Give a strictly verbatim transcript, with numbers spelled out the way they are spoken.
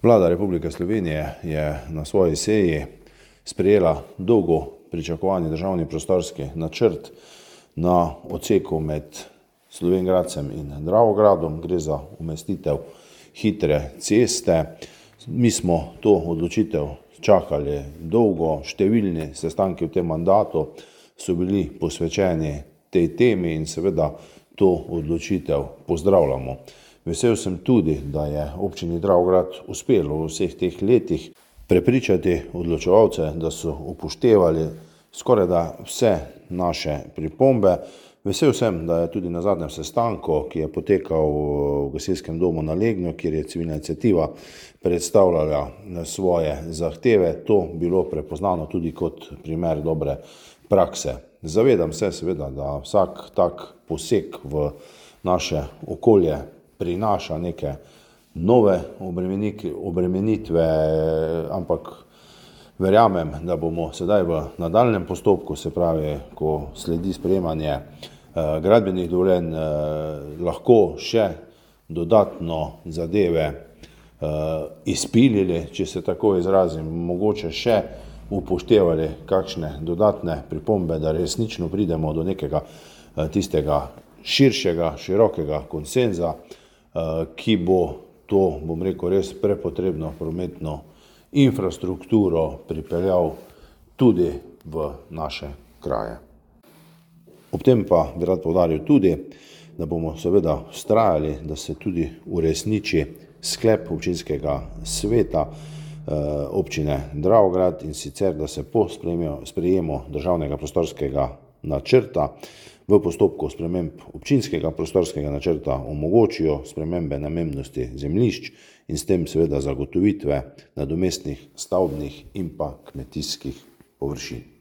Vlada Republike Slovenije je na svoji seji sprejela dolgo pričakovani državni prostorski načrt na odseku med Slovenj Gradcem in Dravogradom. Gre za umestitev hitre ceste. Mi smo to odločitev čakali dolgo, številni sestanki v tem mandatu so bili posvečeni tej temi in seveda to odločitev pozdravljamo. Vesel sem tudi, da je občini Dravograd uspelo v vseh teh letih prepričati odločevalce, da so upoštevali skorajda vse naše pripombe. Vesel sem, da je tudi na zadnjem sestanku, ki je potekal v gasilskem domu na Legnju, kjer je civilna iniciativa predstavljala svoje zahteve, to bilo prepoznano tudi kot primer dobre prakse. Zavedam se seveda, da vsak tak poseg v naše okolje prinaša neke nove obremenitve, ampak verjamem, da bomo sedaj v nadaljnjem postopku, se pravi, ko sledi sprejemanje eh, gradbenih dovoljenj, eh, lahko še dodatno zadeve eh, izpilili, če se tako izrazim, mogoče še upoštevali kakšne dodatne pripombe, da resnično pridemo do nekega eh, tistega širšega, širokega konsenza, eh, ki bo to, bom rekel, res prepotrebno prometno infrastrukturo pripeljal tudi v naše kraje. Ob tem pa bi rad poudaril tudi, da bomo seveda vztrajali, da se tudi uresniči sklep občinskega sveta eh, občine Dravograd, in sicer, da se po sprejemu državnega prostorskega načrta v postopku sprememb občinskega prostorskega načrta omogočijo spremembe namembnosti zemljišč in s tem seveda zagotovitve nadomestnih stavbnih in pa kmetijskih površin.